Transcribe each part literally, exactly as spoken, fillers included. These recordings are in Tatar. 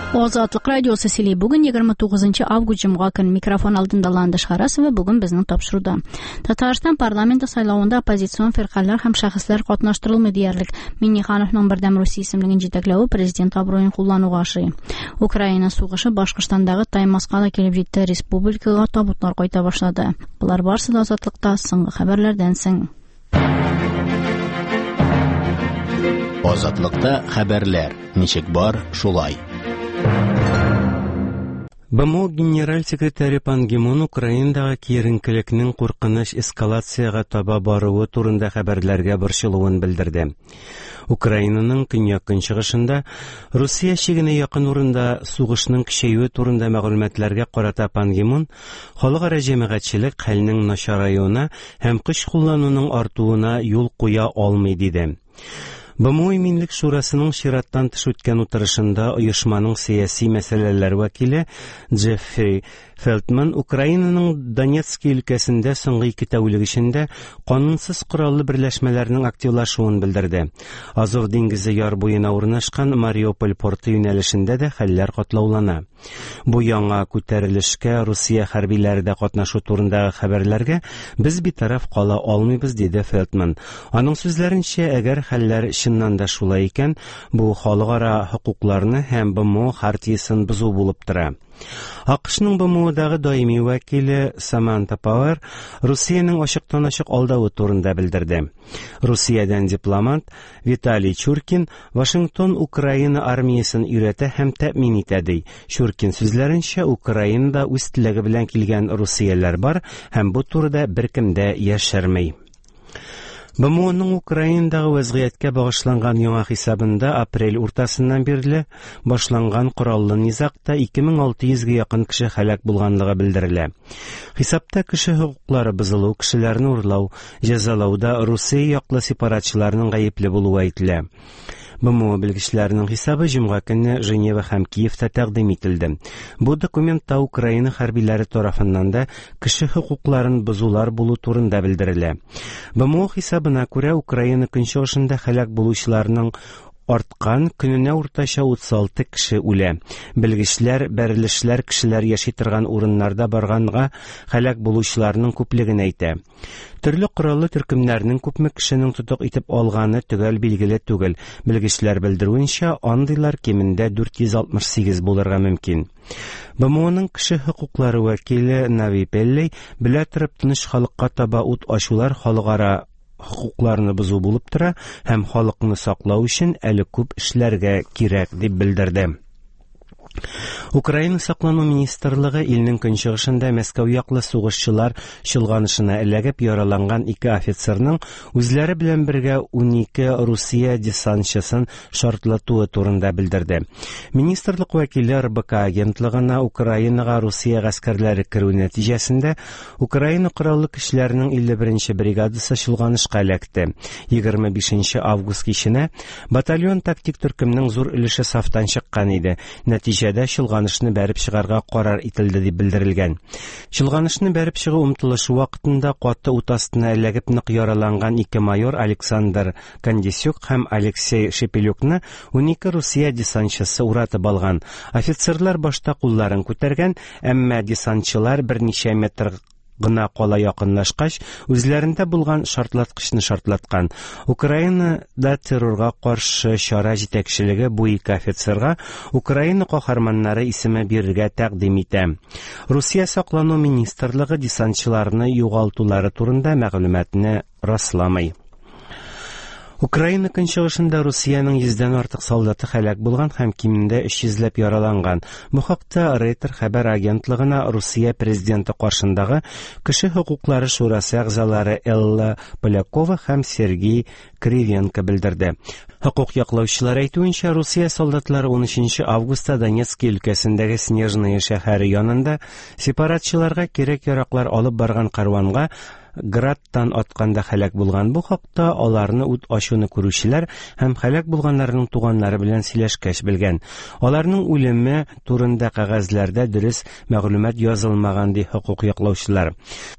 Азатлык радиосы сөйли. Бүген егерме тугызынчы август җомга көн. Микрофон алдында Ландыш Харасова. Бүген безнең тапшыруда. Татарстан парламенты сайлавында оппозицион фиркалар һәм шәхесләр катнаштырылмый диярлек. Миңнехановның Бердәм Русия исемлеген җитәкләве президент абруен куллануга ошый. Украина сугышы Башкортстандагы Таймаска да килеп җитте. Республикага табутлар кайта башлады. Болар барысы да Азатлыкта соңгы хәбәрләрдән соң. Азатлыкта хәбәрләр ничек бар, шулай. Б М О генераль секретаре Пан Ги Мун Украинадагы киеренкелекнең куркыныч эскалациягә таба баруы турында хәбәрләргә борчылуын белдерде. Украинаның көньяк-көнчыгышында Русия чигенә якын урында сугышның көчәюе турында мәгълүматларга карата Пан Ги Мун халыкара җәмәгатьчелек хәлнең начараюына һәм көч куллануның артуына юл куя алмый диде. Б М О Иминлек Шурасының чираттан тыш үткән утырышында оешманың сәяси мәсьәләләр вәкиле Джеффри Фелтман Украинаның Донецк өлкәсендә соңгы ике тәүлек эчендә канунсыз кораллы берләшмәләрнең активлашуын белдерде. Азов диңгезе яр буена урнашкан Мариуполь порты юнәлешендә дә хәлләр катлаулана. Бу яңа күтәрелешкә Русия хәрбиләре дә катнашу турындагы хәбәрләргә без битараф кала алмыйбыз, диде Фелтман. Аның сүзләренчә, әгәр хәлләр чыннан да шулай икән, бу халыкара хокукларны һәм Б М О хартиясен бозу булып тора. А К Шның Б М Одагы даими вәкиле Саманта Пауэр Русиянең ачыктан-ачык алдавы турында белдерде. Русиядән дипломат Виталий Чуркин Вашингтон Украина армиясен өйрәтә һәм тәэмин итә ди. Чуркин сүзләренчә, Украинада үз теләге белән килгән русияләр бар һәм бу турыда беркем дә яшерми. Б М Оның Украинадагы вәзгыятькә багышланган яңа хисабында апрель уртасыннан бирле башланган кораллы низагта ике мең алты йөзгә якын кеше һәлак булганлыгы белдерелә. Хисапта кеше хокуклары бозылу, кешеләрне урлау, җәзалауда Русия яклы сепаратчыларның гаепле булуы әйтелә. Б М О белгечләренең хисабы җомга көнне Женева һәм Киевта тәкъдим ителде. Бу документта Украина хәрбиләре тарафыннан да кеше хокукларын бозулар булу турында белдерелә. Б М О хисабына күрә, Украина көнчыгышында һәлак булучыларның арткан, көненә уртача утыз алты кеше үлә. Белгечләр бәрелешләр кешеләр яши торган урыннарда барганга һәлак булучыларның күплеген әйтә. Төрле кораллы төркемнәрнең күпме кешенең тотык итеп алганы төгәл билгеле түгел. Белгечләр белдерүенчә, андыйлар кимендә дүрт йөз алтмыш сигез булырга мөмкин. Б М Оның кеше хокуклары вәкиле Нави Пеллей белә торып тыныч халыкка таба ут ачулар халыкара хокукларны бозу булып тора һәм халыкны саклау өчен әле күп эшләргә кирәк дип белдерде. Украина саклану министрлыгы илнең көнчыгышында Мәскәү яклы сугышчылар чолганышына эләгеп яраланган ике офицерның үзләре белән бергә унике Русия десантчысын шартлатуы турында белдерде. Министрлык вәкиле Р Б К агентлыгына Украинага Русия гаскәрләре керү нәтиҗәсендә Украина кораллы көчләренең илле беренче бригадасы чолганышка эләкте. Егерме бишенче август киченә батальон тактик төркемнең зур өлеше сафтан чыккан иде. Нәтиҗәдә чолганышны бәреп чыгарга карар ителде дип белдерелгән. Чолганышны бәреп чыгу омтылышы вакытында каты ут астына эләгеп нык яраланган ике майор Александр Кандисюк һәм Алексей Шепелюкны унике Русия десантчысы уратып алган. Офицерлар башта кулларын күтәргән, әмма десантчылар берничә метр гына кала якынлашкач, үзләрендә булган шартлаткычны шартлаткан. Украинада террорга каршы чара җитәкчелеге бу ике офицерга Украина каһарманнары исеме бирергә тәкъдим итә. Русия саклану министрлыгы десантчыларны югалтулары турында мәгълүматны расламый. Украина көнчыгышында Русиянең йөздән артык солдаты һәлак булган һәм кимендә өч йөзләп яраланган. Бу хакта Рейтер хәбәр агентлыгына Русия президенты каршындагы Кеше хокуклары шурасы әгъзалары Элла Полякова һәм Сергей Кривенко белдерде. Хокук яклаучылар әйтүенчә, Русия солдатлары унөченче августта Донецк өлкәсендәге Снежная шәһәре янында сепаратчыларга кирәк-яраклар алып барган карванга Градтан атканда һәлак булган. Бу хакта аларны ут ачуны күрүчеләр һәм һәлак булганнарның туганнары белән сөйләшкәч белгән. Аларның үлеме турында кәгазьләрдә дөрес мәгълүмат язылмаган, ди хокук яклаучылар.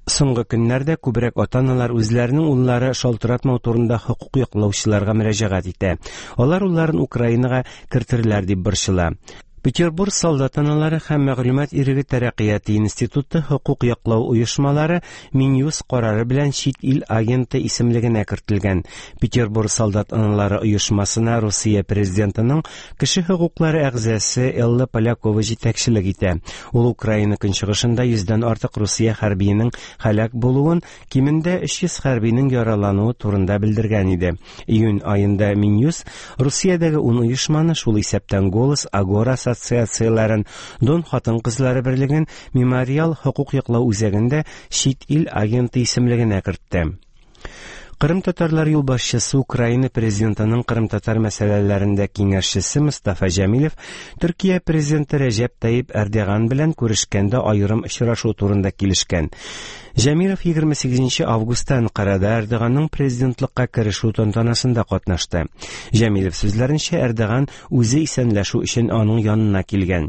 Соңгы көннәрдә күбрәк ата-аналар үзләренең уллары шалтыратмау турында хокук яклаучыларга мөрәҗәгать итә. Алар улларын Украинага кертерләр дип борчыла. Петербург солдат аналары һәм мәгълүмат иреге тәрәккыяте институты хокук яклау оешмалары Минюст карары белән чит ил агенты исемлегенә кертелгән. Петербург солдат аналары оешмасына Русия президентының кеше хокуклары әгъзасы Элла Полякова җитәкчелек итә. Ул Украина көнчыгышында йөздән артык Русия хәрбиенең һәлак булуын, кимендә өч йөз хәрбинең яралануы турында белдергән иде. Июнь аенда Минюст Русиядәге ун оешманы, шул исәптән Голос, Агора ассоциацияләрен, Дон хатын-кызлары берлеген, Мемориал хокук яклау үзәгендә чит ил агенты исемлегенә кертте. Кырым татарлар юлбашчысы Украина президентының Кырым татар мәсьәләләрендә киңәшчесе Мустафа Җәмилев Төркия президенты Рәҗәп Тайип Эрдоган белән күрешкәндә аерым очрашу турында килешкән. Җәмилев егерме сигезенче августта Анкарада Эрдоганның президентлыкка керешү тантанасында катнашты. Җәмилев сүзләренчә, Эрдоган үзе исәнләшү өчен аның янына килгән.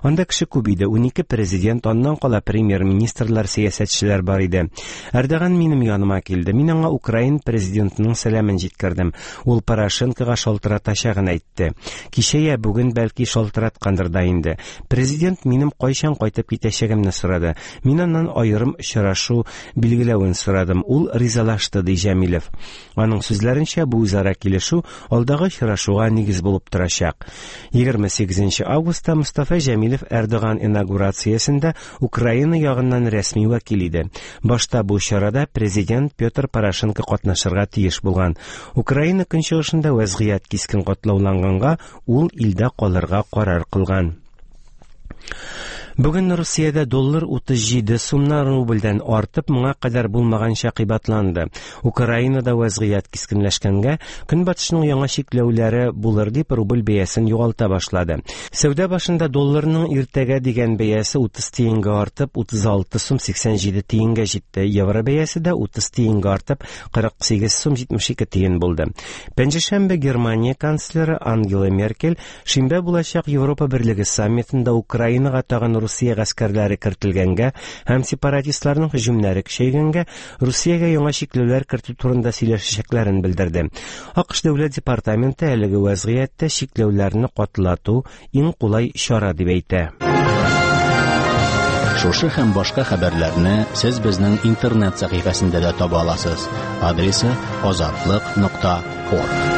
Анда кеше күп иде, унике президент, аннан кала премьер-министрлар, сәясәтчеләр бар иде. Эрдоган минем яныма килде. Мин аңа Украина президентының сәламен җиткердем. Ул Порошенкога шалтыратачагын әйтте. Кичә я бүген бәлки шалтыраткандыр да инде. Президент минем кайчан кайтып китәчәгемне сорады. Мин аннан аерым очрашу билгеләвен сорадым. Ул ризалашты, ди Җәмилев. Аның сүзләренчә, бу үзара килешү алдагы очрашуга нигез булып торачак. егерме сигезенче августта Мустафа Җәмилев Эрдоган инаугурациясендә Украина ягыннан рәсми вәкил иде. Башта бу чарада президент Петр Порошенко катнашырга тиеш булган. Украина көнчыгышында вәзгыять кискен катлауланганга, ул илдә калырга карар кылган. Бүген Русиядә доллар утыз җиде сумнан рубльдән артып, моңа кадәр булмаганча кыйбатланды. Украинада вәзгыять кискенләшкәнгә, Көнбатышның яңа чикләүләре булыр дип рубль бәясен югалта башлады. Сәүдә башында долларның иртәгә дигән бәясе утыз тиенгә артып, утыз алты сум сиксән җиде тиенгә җитте. Евро бәясе дә утыз тиенгә артып, кырык сигез сум җитмеш ике тиен булды. Пәнҗешәмбе Германия канцлеры Ангела Меркель шимбә булачак Европа Берлеге саммитында Украинага тагын Русия гаскәрләре кертелгәнгә һәм сепаратистларның һөҗүмнәре көчәйгәнгә Русиягә яңа чикләүләр кертү турында сөйләшәчәкләрен белдерде. АКШ дәүләт департаменты әлеге вәзгыятьтә чикләүләрне катлату иң кулай чара дип әйтә. Шушы һәм башка хәбәрләрне сез безнең интернет сәхифәсендә дә таба аласыз. Адресы азатлык нокта орг.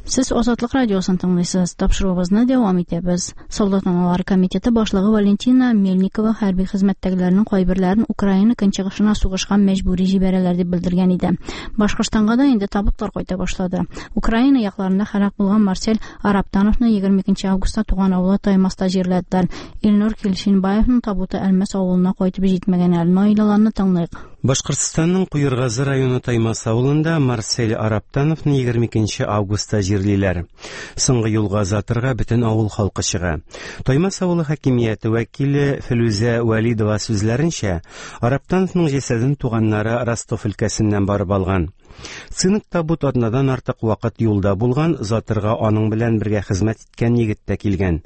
Сез Азатлык радиосын тыңлыйсыз. Тапшыруыбызны дәвам итәбез. Солдат аналары комитеты башлыгы Валентина Мельникова хәрби хезмәттәгеләрнең кайберләрен Украина көнчыгышына сугышка мәҗбүри җибәрәләр дип белдергән иде. Башкортстанга да инде табутлар кайта башлады. Украина якларында һәлак булган Марсель Араптановны егерме икенче августта туган авылы Таймаста җирләделәр. Илнур Килшинбаевның табуты Әлмәс авылына кайтып җитмәгән әле. Наилаларны тыңлыйк. Башкортстанның Куергазы районы Таймас авылында Марсель Араптановны егерме икенче августта җирлиләр. Соңгы юлга озатырга бөтен авыл халкы чыга. Таймас авылы хакимияте вәкиле Филүзә Вәлидова сүзләренчә, Араптановның җәсәден туганнары Ростов өлкәсеннән барып алган. Цинк табут атнадан артык вакыт юлда булган, озатырга аның белән бергә хезмәт иткән егет тә килгән.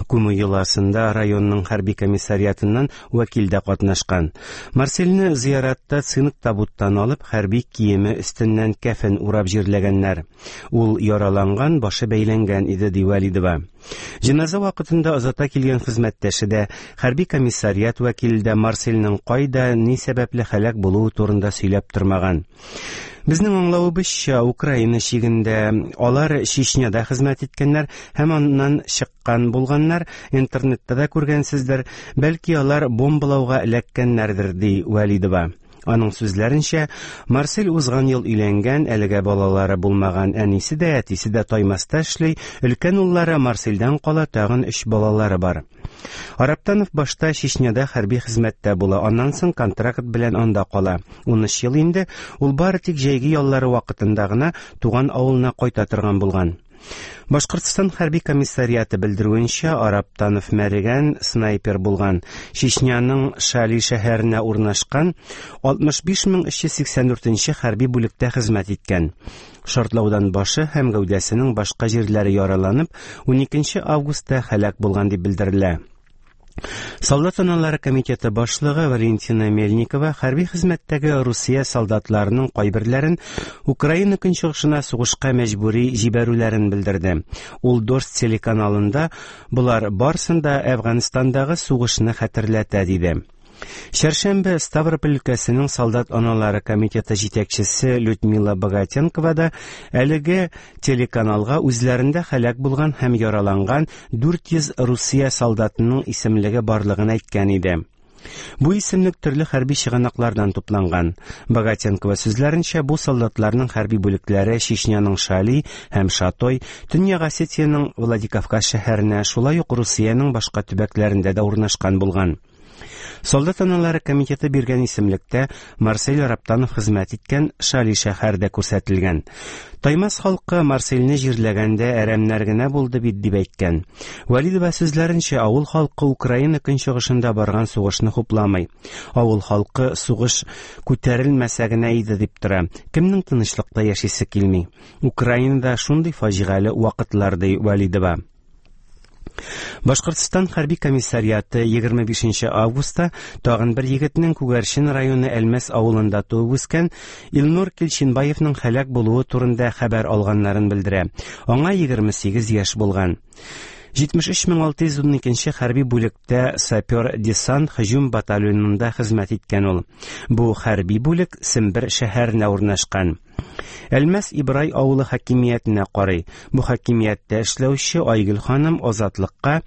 Күмү йоласында районның хәрби комиссариатыннан вәкил дә катнашкан. Марсельне зыяратта цинк табуттан алып, хәрби киеме өстеннән кәфен урап җирләгәннәр. Ул яраланган, башы бәйләнгән иде, ди Вәлидова. Җеназа вакытында озата килгән хезмәттәше дә, хәрби комиссариат вәкиле дә Марсельнең кайда, ни сәбәпле һәлак булуы турында сөйләп тормаган. Безнең аңлавыбызча, Украина чигендә алар Чечняда хезмәт иткәннәр һәм аннан чыккан булганнар, интернетта да күргәнсездер, бәлки алар бомбалауга эләккәннәрдер, ди Вәлидова. Аның сүзләренчә, Марсель узган ел өйләнгән, әлегә балалары булмаган, әнисе дә, әтисе дә Таймаста эшли, өлкән уллары Марсельдән кала тагын өч балалары бар. Араптанов башта Чечняда хәрби хезмәттә була, аннан соң контракт белән анда кала. Унөч ел инде ул бары тик җәйге яллары вакытында гына туган авылына кайта торган булган. Башкортстан хәрби комиссариаты белдерүенчә, Араптанов мәргән снайпер булган. Чечняның Шали шәһәренә урнашкан алтмыш биш мең өч йөз сиксән дүртенче хәрби бүлектә хезмәт иткән. Шартлаудан башы һәм гәүдәсенең башка җирләре яраланып, уникенче августта һәлак булган дип белдерелә. Солдат аналары комитеты башлыгы Валентина Мельникова хәрби хезмәттәге Русия солдатларының кайберләрен Украина көнчыгышына сугышка мәҗбүри җибәрүләрен белдерде. Ул Дождь телеканалында болар барсын да Әфганстандагы сугышны хәтерләтә диде. Чәршәмбе Ставрополь өлкәсенең солдат аналары комитеты җитәкчесе Людмила Богатенкова да әлеге телеканалга үзләрендә һәлак булган һәм яраланган дүрт йөз Русия солдатының исемлеге барлыгын әйткән иде. Бу исемлек төрле хәрби чыганаклардан тупланган. Богатенкова сүзләренчә, бу солдатларның хәрби бүлекләре Чечняның Шали һәм Шатой, Төньяк Осетиянең Владикавказ шәһәренә, шулай ук Русиянең башка төбәкләрендә дә урнашкан булган. Солдат аналары комитеты биргән исемлектә Марсель Раптанов хезмәт иткән Шали шәһәре дә күрсәтелгән. Таймас халкы Марсельне җирләгәндә әрәмнәр генә булды бит дип әйткән. Вәлидова сүзләренчә, авыл халкы Украина көнчыгышында барган сугышны хупламый. Авыл халкы сугыш күтәрелмәсә генә иде дип тора. Кемнең тынычлыкта яшисе килми? Украинада шундый фаҗигале вакытлар, ди Вәлидова. Башкортстан хәрби комиссариаты егерме бишенче августта тагын бер егетнең Күгәрчен районы Әлмәс авылында туып үскән Илнур Килчинбаевның һәлак булуы турында хәбәр алганнарын белдерә. Аңа егерме сигез яшь булган. Җитмеш өч мең алты йөз ун икенче хәрби бүлектә сапер-десант һөҗүм батальонында хезмәт иткән ул. Бу хәрби бүлек Сембер шәһәренә урнашкан. Әлмәс Ибрай авылы хакимиятенә карый. Бу хакимияттә эшләүче Айгөл ханым Азатлыкка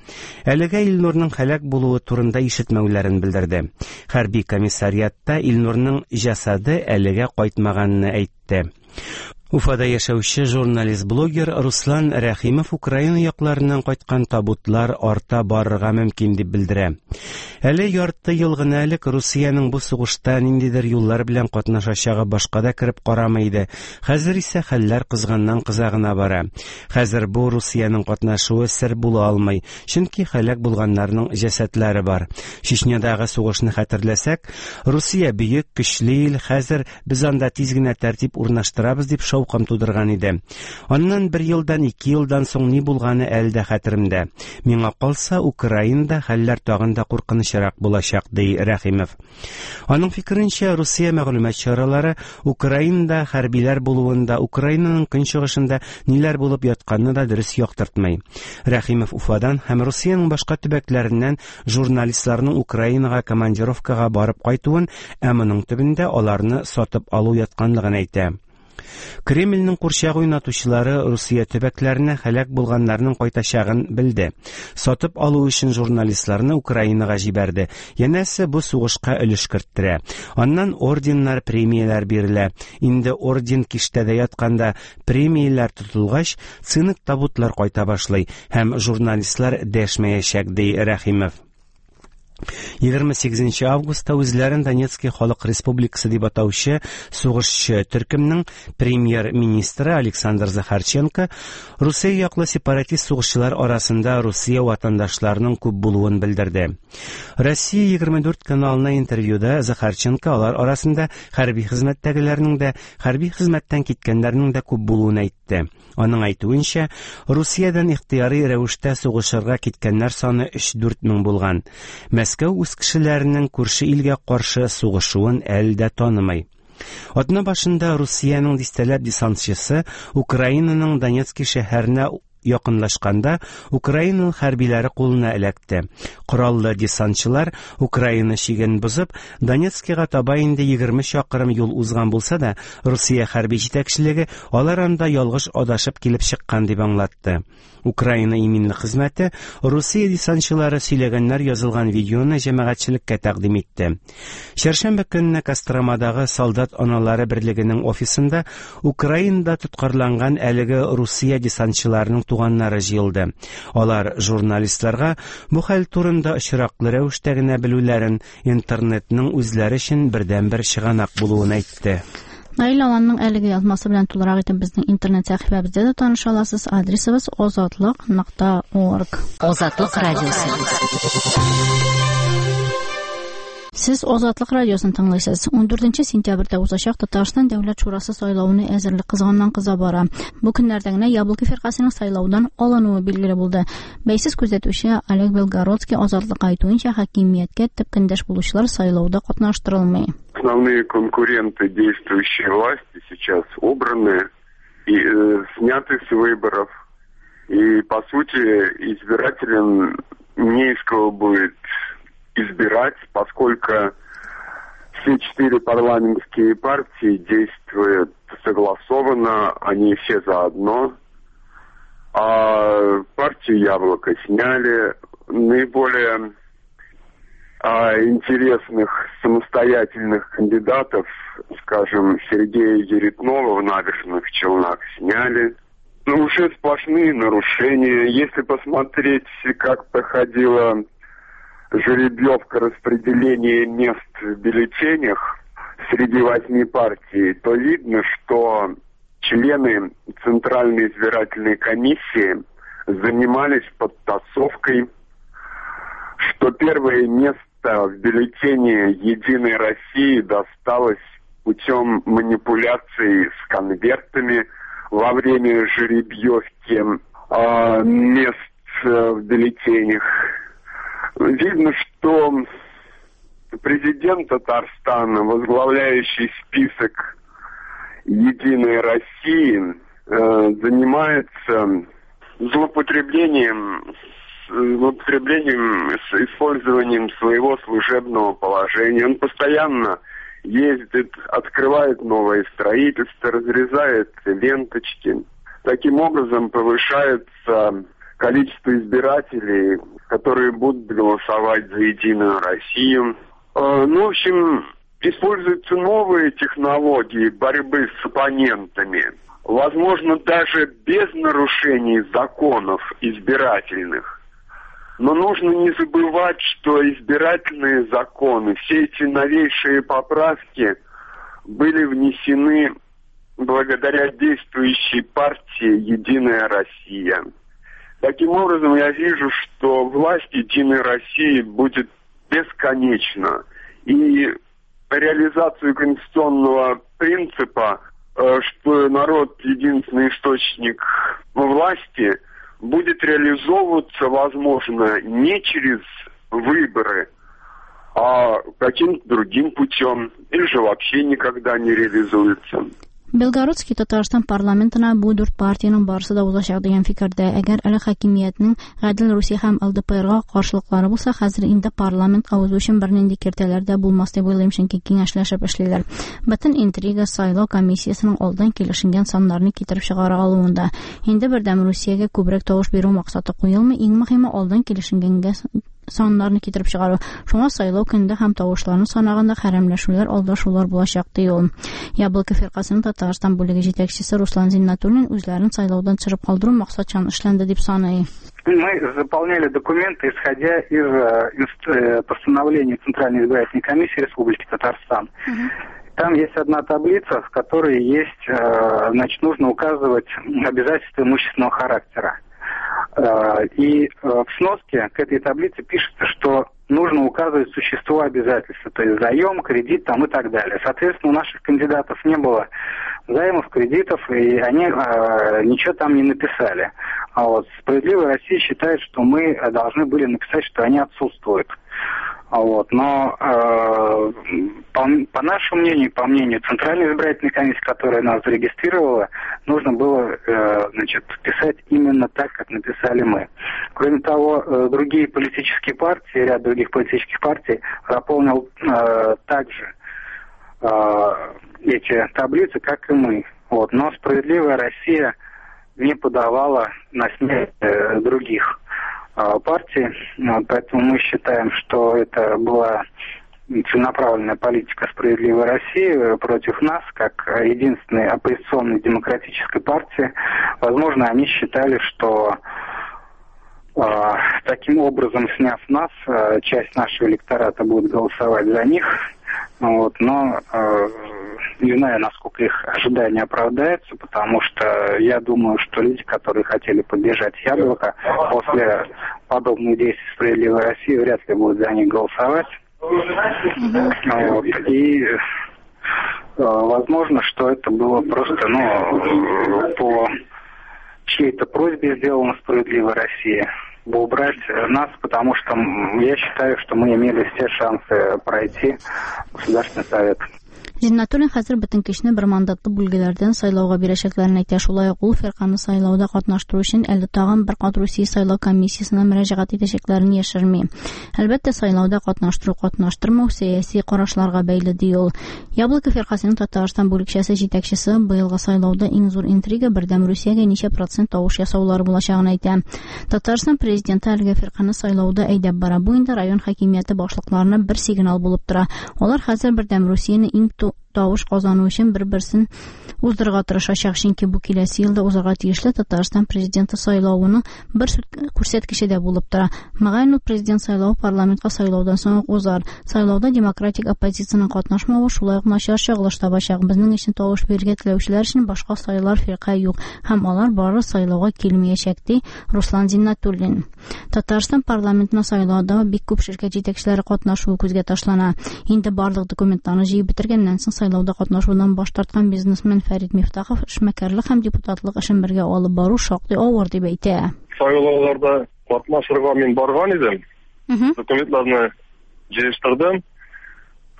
әлегә Илнурның һәлак булуы турында ишетмәүләрен белдерде. Хәрби комиссариатта Илнурның җәсаде әлегә кайтмаганын әйтте. Уфада яшәүче журналист-блогер Руслан Рәхимов Украина якларыннан кайткан табутлар арта барырга мөмкин дип белдерә. Әле ярты ел гына элек Русиянең бу сугышта ниндидер юллар белән катнашачагы башка да кереп карамый иде. Хәзер исә хәлләр кызганнан кыза гына бара. Хәзер бу Русиянең катнашуы сер була алмый, чөнки һәлак булганнарның җәсәдләре бар. Чечнядагы сугышны хәтерләсәк, Русия бөек, көчле ил, хәзер без анда тиз генә тәртип урнаштырабыз дип шау кам тудырган иде. Аннан бер елдан, ике елдан соң ни булганы әле дә хәтеремдә. Миңа калса, Украинада хәлләр тагын да куркынычрак булачак, ди Рәхимов. Аның фикеренчә, Русия мәгълүмат чаралары Украинада хәрбиләр булуында, Украинаның көнчыгышында ниләр булып ятканны да дөрес яктыртмый. Рәхимов Уфадан һәм Русиянең башка төбәкләреннән журналистларның Украинага командировкага барып кайтуын, ә моның төбендә аларны сатып алу ятканлыгын әйтә. Кремльнең курчак уйнатучылары Русия төбәкләренә һәлак булганнарның кайтачагын белде. Сатып алу өчен журналистларны Украинага җибәрде. Янәсе бу сугышка өлеш керттерә. Аннан орденнар, премияләр бирелә. Инде орден киштәдә ятканда премияләр тотылгач, цинк табутлар кайта башлый һәм журналистлар дәшмәячәк, ди Рәхимов. Егерме сигезенче августта үзләрен Донецкий халык республикасы дип атаучы сугышчы төркемнең премьер-министры Александр Захарченко Русия яклы сепаратист сугышчылар арасында Русия ватандашларының күп булуын белдерде. Россия егерме дүрт каналына интервьюда Захарченко алар арасында хәрби хезмәттәгеләрнең дә, хәрби хезмәттән киткәннәрнең дә күп булуын әйтте. Аның әйтүенчә, Русиядән ихтыяри рәвештә сугышырга киткәннәр саны өч-дүрт мең булган. Мәскәү үз кешеләренең күрше илгә каршы сугышуын әле дә танымый. Атна башында Русиянең дистәләп десантчысы Украинаның Донецкий шәһәренә якынлашканда Украинаның хәрбиләре кулына эләкте. Кораллы десантчылар Украина чиген бозып, Донецкийга таба инде егерме чакрым юл узган булса да, Русия хәрби җитәкчелеге алар анда ялгыш адашып килеп чыккан дип аңлатты. Украина иминлек хезмәте Русия десантчылары сөйләгәннәр язылган видеоны җәмәгатьчелеккә тәкъдим итте. Чәршәмбе көнне Костромадагы солдат аналары берлегенең офисында Украинада тоткарланган әлеге Русия десантчыларының туганнары җыелды. Алар журналистларга бу хәл турында очраклы рәвештә генә белүләрен, интернетның үзләре өчен бердәнбер чыганак булуын әйтте. Наил Аланның әлеге язмасы белән тулырак итеп безнең интернет сәхифәбездә дә таныша аласыз. Адресыбыз озатлык нокта орг. Озатлык радиосы. Сез Азатлык радиосын тыңлыйсыз. ун дүртенче сентябрьдә узачак Татарстан Дәүләт Шурасы сайлавына әзерлек кызганнан кыза бара. Бу көннәрдә генә Яблоко фиркасының сайлаудан алынуы билгеле булды. Бәйсез күзәтүче Олег Белгородский Азатлыкка әйтүенчә, хакимияткә төп көндәш булучылар сайлауда катнаштырылмый. Основные конкуренты действующей власти сейчас убраны и э, сняты с выборов. И, по сути, избирателям не из кого будет избирать, поскольку все четыре парламентские партии действуют согласованно, они все заодно. А партию «Яблоко» сняли. Наиболее а, интересных самостоятельных кандидатов, скажем, Сергея Еретнова в Набережных Челнах сняли. Ну, уже сплошные нарушения. Если посмотреть, как проходила жеребьевка распределения мест в бюллетенях среди восьми партий, то видно, что члены Центральной избирательной комиссии занимались подтасовкой, что первое место в бюллетене «Единой России» досталось путем манипуляций с конвертами во время жеребьевки э, мест в бюллетенях. Видно, что президент Татарстана, возглавляющий список «Единой России», э, занимается злоупотреблением, злоупотреблением с использованием своего служебного положения. Он постоянно ездит, открывает новое строительство, разрезает ленточки. Таким образом повышается количество избирателей, которые будут голосовать за «Единую Россию». Ну, в общем, используются новые технологии борьбы с оппонентами. Возможно, даже без нарушений законов избирательных. Но нужно не забывать, что избирательные законы, все эти новейшие поправки были внесены благодаря действующей партии «Единая Россия». Таким образом, я вижу, что власть «Единой России» будет бесконечна. И реализацию конституционного принципа, что народ единственный источник власти, будет реализовываться, возможно, не через выборы, а каким-то другим путем, или же вообще никогда не реализуется. Белгородский Татарстан парламентына бу дүрт партиянең барысы да узачак дигән фикердә. Әгәр әле хакимиятнең Гадел Русия һәм Эл Дэ Пэ Эрга каршылыклары булса, хәзер инде парламентка узу өчен бернинди киртәләр дә булмас дип уйлыйм, чөнки киңәшләшеп эшлиләр. Бөтен интрига сайлау комиссиясенең алдан килешенгән саннарны китереп чыгара алуында. Инде Бердәм Русиягә күбрәк тавыш бирү максаты куелмый, иң мөһиме алдан килешенгәнгә саннарны китереп чыгару. Шуңа сайлау көндә һәм тавышларны санаганда хәрәмләшүләр, алдашулар булачак ди ул. Яблоко фиркасының Татарстан бүлеге җитәкчесе Руслан Зиннатуллин үзләрен сайлаудан төшереп калдыру максатчан эшләнде дип саный. Мы заполняли документы, исходя из постановления Центральной избирательной комиссии Республики Татарстан. Угу. Там есть одна таблица, в которой есть, значит, нужно указывать обязательства имущественного характера. И в сноске к этой таблице пишется, что нужно указывать существо обязательства, то есть заем, кредит там и так далее. Соответственно, у наших кандидатов не было займов, кредитов, и они э, ничего там не написали. А вот «Справедливая Россия» считает, что мы должны были написать, что они отсутствуют. Вот. Но э, по, по нашему мнению, по мнению Центральной избирательной комиссии, которая нас зарегистрировала, нужно было э, значит, писать именно так, как написали мы. Кроме того, э, другие политические партии, ряд других политических партий заполнил э, также э, эти таблицы, как и мы. Вот. Но «Справедливая Россия» не подавала на смерть э, других партии, поэтому мы считаем, что это была целенаправленная политика «Справедливой России» против нас, как единственной оппозиционной демократической партии. Возможно, они считали, что э, таким образом, сняв нас, э, часть нашего электората будет голосовать за них. Вот, но э, не знаю, насколько их ожидания оправдаются, потому что я думаю, что люди, которые хотели поддержать «Яблоко», после подобных действий «Справедливой России» вряд ли будут за них голосовать. Вот. И возможно, что это было просто, ну, по чьей-то просьбе сделано «Справедливая Россия», убрать нас, потому что я считаю, что мы имели все шансы пройти Государственный совет. Зиннатуллин хәзер бөтен кешене бер мандатлы бүлгеләрдән сайлауга бирәчәкләрен әйтә. Шулай ук ул фирканы сайлауда катнаштыру өчен әле тагын бер кат Русия сайлау комиссиясенә мөрәҗәгать итәчәкләрен яшерми. Әлбәттә, сайлауда катнаштыру катнаштырмау сәяси карашларга бәйле, ди ул. Яблоко фиркасының Татарстан бүлекчәсе җитәкчесе быелгы сайлауда иң зур интрига Бердәм Русиягә ничә процент тавыш ясаулары булачагын әйтә. Татарстан президенты әлеге фирканы сайлауда әйдәп бара. Бу инде район хакимияте башлыкларына бер сигнал булып тора. Алар хәзер Бердәм Русияне иң тавыш казану өчен бер-берсен уздырырга тырышачак, чөнки бу киләсе елда узарга тиешле Татарстан президенты сайлавының бер күрсәткече дә булып тора. Мөгаен, ул президент сайлавы парламентка сайлаудан соң ук узар. Сайлауда демократик оппозициянең катнашмавы шулай ук начар чагылыш табачак. Безнең өчен тавыш бирергә теләүчеләр өчен башка сайлар фирка юк һәм алар бары сайлауга килмәячәк, ди Руслан Зиннатуллин. Татарстан парламентына сайлауда бик күп ширкәт җитәкчеләре катнашуы күзгә ташлана. Инде барлык документларны җыеп бетергәннән соң сайлауда катнашудан баш тарткан бизнесмен Фәрид Мифтахов эшмәкәрлек һәм депутатлык эшен бергә алып бару шактый авыр дип әйтә. Сайлауларда катнашырга мин барган идем. Документларны җыештырдым,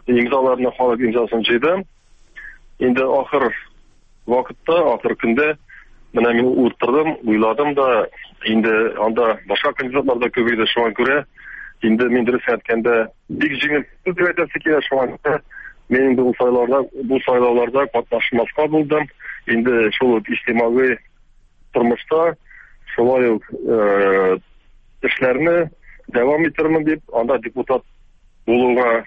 имзаларны, халык имзасын җыйдым. Инде ахыр вакытта, ахыр көндә менә мин утырдым, уйладым да, инде анда башка кандидатлар да күп иде, шуңа күрә инде мин дөрес әйткәндә бик җиңел дип әйтәсе килә, шуңа күрә мин инде бу сайлауларда, бу сайлауларда катнашмаска булдым. Инде шул ук иҗтимагый тормышта шулай ук эшләрне дәвам итермен дип, анда депутат булуга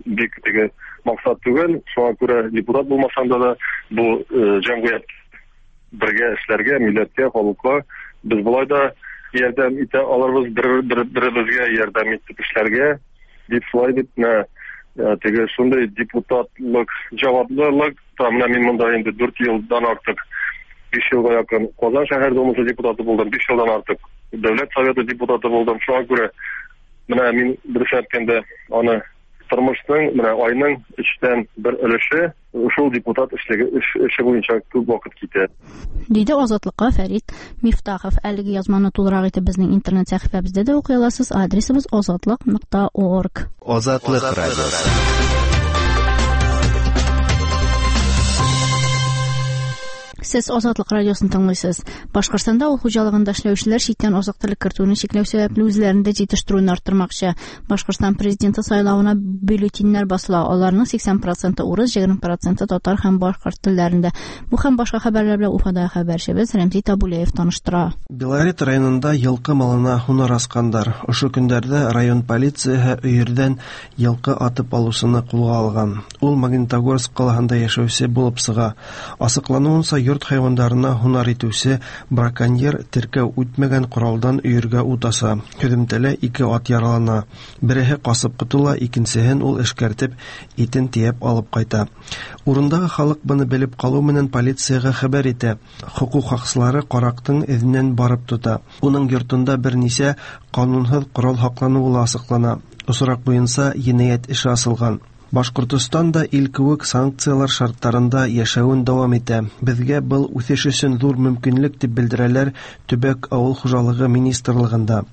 бик теге максат түгел, шуңа күрә депутат булмасам да да бу җәмгыять бергә эшләргә, милләткә, халыкка без болай да ярдәм итә аларбыз, бер-беребезгә ярдәм итеп эшләргә дип шулай дип менә теге шундый депутатлык җаваплылык та менә мин монда инде дүрт елдан артык, биш елга якын Казан шәһәр думасы депутаты булдым, биш елдан артык Дәүләт Советы депутаты булдым. Шуңа күрә менә мин дөрес әйткәндә аны тормышның менә айның өчтән бер өлеше шул депутат эшлеге эше буенча күп вакыт китә. Диде Азатлыкка Фәрид Мифтахов. Әлеге язманы тулырак итеп безнең интернет сәхифәбездә дә укый аласыз. Адресыбыз азатлык нокта орг. Азатлык радиосы. Сез Азатлык радиосын тыңлыйсыз. Башкортстанда авыл хуҗалыгында эшләүчеләр читтән азык-төлек кертүне чикләү сәбәпле үзләрендә җитештерүне арттырмакчы. Башкортстан президенты сайлавына бюллетеньнәр басыла. Аларның сиксән проценты урыс, егерме проценты татар һәм башкорт телләрендә. Бу һәм башка хәбәрләр белән Уфада хәбәрчебез Рәмзи Табулеев таныштыра. Белорет районында йылкы малына һунар аскандар. Ошо көндәрдә район полицияһы өйөрдән йылкы атып алыусыны кулга алган. Ул Магнитогорск калаһында яшәүсе булып сыга. Асыклануынса, йорт хайвандарына һунар итүсе браконьер теркәү үтмәгән коралдан өйөргә ут аса. Һөҙөмтәлә ике ат яралана. Береһе ҡасып ҡотола, икенсеһен ул эшкәртеп, итен тейәп алып ҡайта. Урындағы халыҡ быны белеп ҡалыу менән полицияға хәбәр итә. Хоҡуҡ һаҡсылары ҡараҡтың эҙенән барып тота. Уның йортонда бер нисә ҡанунһыҙ ҡорал һаҡланыуы ла асыҡлана. Осраҡ буйынса енәйәт эше асылған. Башҡортостан да ил кеүек санкциялар шарттарында йәшәүен дауам итә. Беҙгә был үҫеш өсөн ҙур мөмкинлек тип белдерәләр төбәк ауыл хужалығы министрлығында.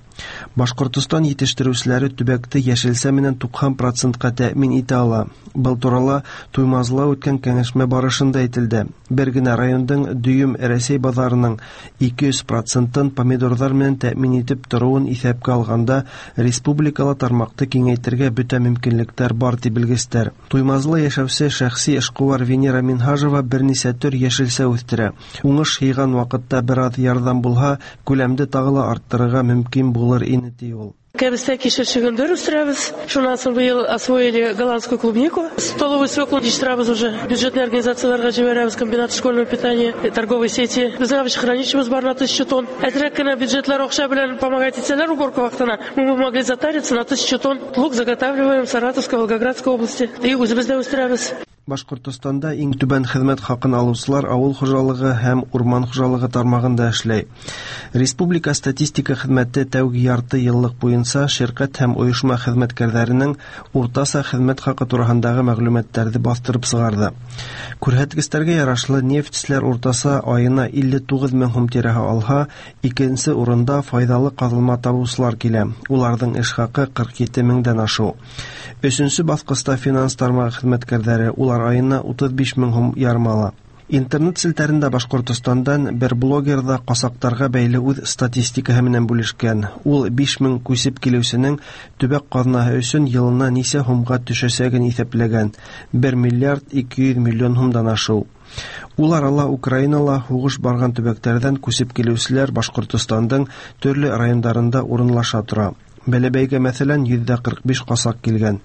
Башҡортостан етештереүселәре төбәкте йәшелсә менән туҡһан процентҡа тәьмин итә ала. Был турала Туймазыла үткән кәңәшмә барышында әйтелде. Бер генә райондың дөйөм Рәсәй баҙарының ике йөҙ процентын помидорҙар менән тәьмин итеп тороуын иҫәпкә алғанда республикала тармаҡты киңәйтергә бөтә мөмкинлектәр бар тип белгестәр. Туймазыла йәшәүсе шәхси эшҡыуар Венера Минһажева бер нисә төр йәшелсә үҫтерә. Уңыш йыйған ваҡытта бер аҙ ярҙам булһа, күләмде тағы ла арттырырға мөмкин булыр ине, ти ул. Кәбестә кишер чөгендер үстерәбез. Шуннан соң быел освоили голландскую клубнику. Столовую свеклу җитештерәбез уже. Бюджетный организацияларга җибәрәбез, комбинат школьного питания, торговой сети. Безнең овощехранилищебыз бар на тысячу тонн. Әзрәк кенә бюджетлар акча белән помогать итсәләр уборка вакытына, мы бы могли затариться на тысячу тонн. Лук заготавливаем в Саратовской, Волгоградской области. И үзебез дә үстерәбез. Башҡортостанда иң түбән хеҙмәт хаҡын алыусылар ауыл хужалығы һәм урман хужалығы тармағында эшләй. Республика статистика хеҙмәте тәүге ярты йыллыҡ буйынса ширҡәт һәм ойошма хеҙмәткәрҙәренең уртаса хеҙмәт хаҡы тураһындағы мәғлүмәттәрҙе баҫтырып сығарҙы. Күрһәткестәргә ярашлы нефтселәр уртаса айына илле туғыҙ мең һум тирәһе алһа, икенсе урында файҙалы ҡаҙылма табыусылар килә. Уларҙың эш хаҡы ҡырҡ ете меңдән ашыу. Өсөнсө баҫҡыста финанс тармағы хеҙмәткәрҙәре, улар айына утыҙ биш мең һум ярым ала. Интернет селтәрендә Башҡортостандан бер блогер ҙа ҡасаҡтарға бәйле үҙ статистикаһы менән бүлешкән. Ул биш мең күсеп килеүсенең төбәк ҡаҙнаһы өсөн йылына нисә һумға төшәсәген иҫәпләгән. бер миллиард ике йөҙ миллион һумдан ашыу. Ул арала Украинала һуғыш барған төбәктәрҙән күсеп килеүселәр Башҡортостандың төрлө райондарында урынлаша тора. Бәләбәйгә, мәҫәлән, йөҙҙә ҡырҡ биш ҡасаҡ килгән.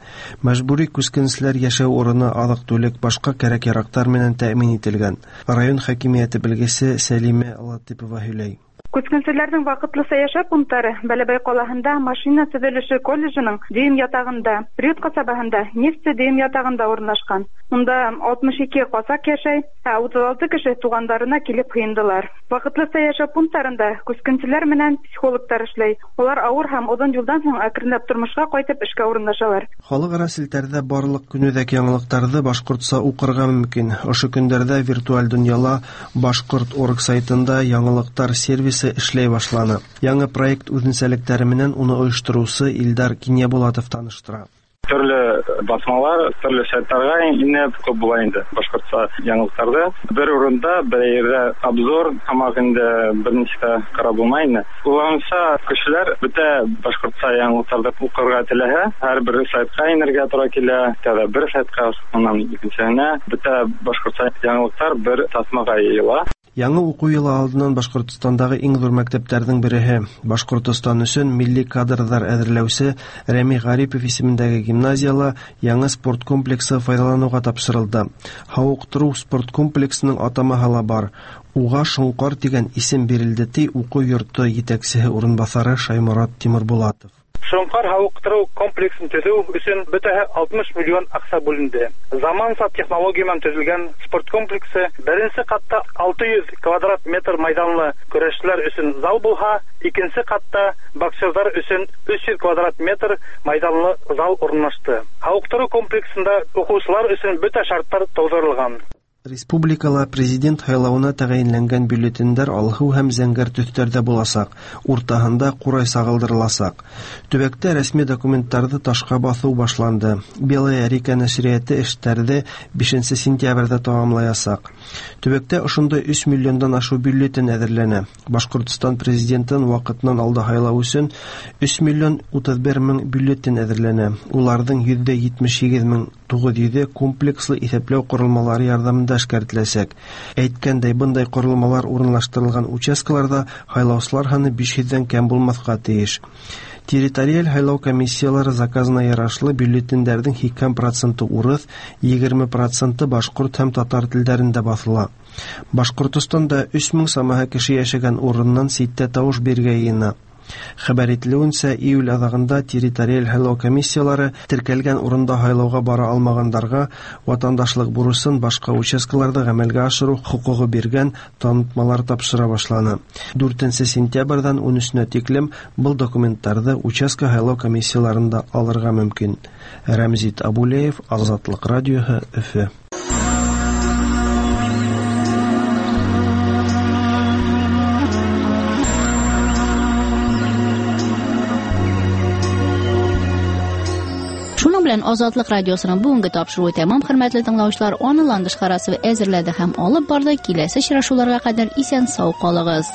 Мәжбүри күскенселәр йәшәү урыны, аҙыҡ-түлек, башҡа кәрәк-яраҡтар менән тәьмин ителгән. Район хакимиәте белгесе Сәлимә Латипова һөйләй. Күскенселәрҙең ваҡытлыса йәшәү пункттары Бәләбәй ҡалаһында машина төҙөлөшө колледжының дөйөм ятағында, Приют ҡасабаһында нефтсе дөйөм ятағында урынлашҡан. Унда алтмыш ике ҡасаҡ йәшәй, ә утыҙ алты кеше туғандарына килеп һыйындылар. Ваҡытлыса йәшәү пункттарында күскенселәр менән психологтар эшләй. Улар ауыр һәм оҙон юлдан һуң әкренләп тормошҡа ҡайтып эшкә урынлашалар. Халыҡ-ара селтәрҙә барлыҡ көнүҙәк яңылыҡтарҙы башҡортса уҡырға мөмкин. Ошо көндәрҙә виртуаль донъяла Башҡорт орг сайтында яңылыҡтар сервисы эшләй башланы. Яңы проект үҙенсәлектәре менән уны ойоштороусы Илдар Кинйәбулатов таныштыра. Төрлө басмалар, төрлө сайттарға инеп күп була инде башҡортса яңылыҡтарҙы. Бер урында, бер ерҙә обзор һамаҡ инде бер нисә ҡарап булмай инде. Уларынса кешеләр бөтә башҡортса яңылыҡтарҙы уҡырға теләһә, һәр бер сайтҡа инергә тура килә, тәүҙә бер сайтҡа, унан икенсеһенә, бөтә башҡортса яңылыҡтар бер таҫмаға йыйыла. Яңы уҡыу йылы алдынан Башҡортостандағы иң ҙур мәктәптәрҙең береһе Башҡортостан өсөн милли кадрҙар әҙерләүсе Рәми Ғарипов исемендәге гимназияла яңы спорт комплексы файҙаланыуға тапшырылды. Һауыҡтырыу спорт комплексының атамаһы ла бар. Уға Шоңҡар тигән исем бирелде, ти уҡыу йорто етәксеһе урынбаҫары Шайморат Тимербулатов. Шоңҡар һауыҡтырыу комплексын төҙөү өсөн бөтәһе алтмыш миллион аҡса бүленде. Заманса технология менән төҙөлгән спорт комплексы беренсе ҡатта алты йөҙ квадрат метр майҙанлы көрәшселәр өсөн зал булһа, икенсе ҡатта боксерҙар өсөн өс йөҙ квадрат метр майҙанлы зал урынлашты. Һауыҡтырыу комплексында уҡыусылар өсөн бөтә шарттар тыуҙырылған. Республикала президент һайлауына тәғәйенләнгән бюллетендәр алһыу һәм зәңгәр төҫтәрҙә буласаҡ, уртаһында ҡурай сағылдырыласаҡ. Төбәктә рәсми документтарҙы ташҡа баҫыу башланды. Белая река нәшриәте эштәрҙе бишенсе сентябрҙә тамамлаясаҡ. Төбәктә ошондай өс миллиондан ашыу бюллетен әҙерләнә. Башҡортостан президентын ваҡытынан алда һайлау өсөн өс миллион утыҙ бер мең бюллетен әҙерләнә. Уларҙың йөҙҙә етмеш һигеҙ мең туғыҙ йөҙө комплекслы иҫәпләү ҡоролмалары ярҙамында эшкәртеләсәк. Әйткәндәй, бындай ҡоролмалар урынлаштырылған участкаларҙа һайлаусылар һаны биш йөҙҙән кәм булмаҫҡа тейеш. Территориаль һайлау комиссиялары заказына ярашлы бюллетендәрҙең һикһән проценты урыҫ, егерме проценты башҡорт һәм татар телдәрендә баҫыла. Башҡортостанда өс мең самаһы кеше йәшәгән урынынан ситтә тауыш бирергә йыйына. Хәбәр ителеүенсә, июль аҙағында территориаль һайлау комиссиялары теркәлгән урында һайлауға бара алмағандарға ватандашлыҡ бурысын башҡа участкаларҙа ғәмәлгә ашырыу хоҡуғы биргән танытмалар тапшыра башланы. Дүртенсе сентябрҙән ун өсөнә тиклем был документтарҙы участка һайлау комиссияларында алырға мөмкин. Рәмзит Абулеев, Азатлыҡ радиоһы, Өфө. Белән Азатлык радиосының бүгенге тапшыруы тәмам. Хөрмәтле тыңлаучылар, аны Ландыш Харасова әзерләде һәм алып барды. Киләсе очрашуларга кадәр исән сау калыгыз.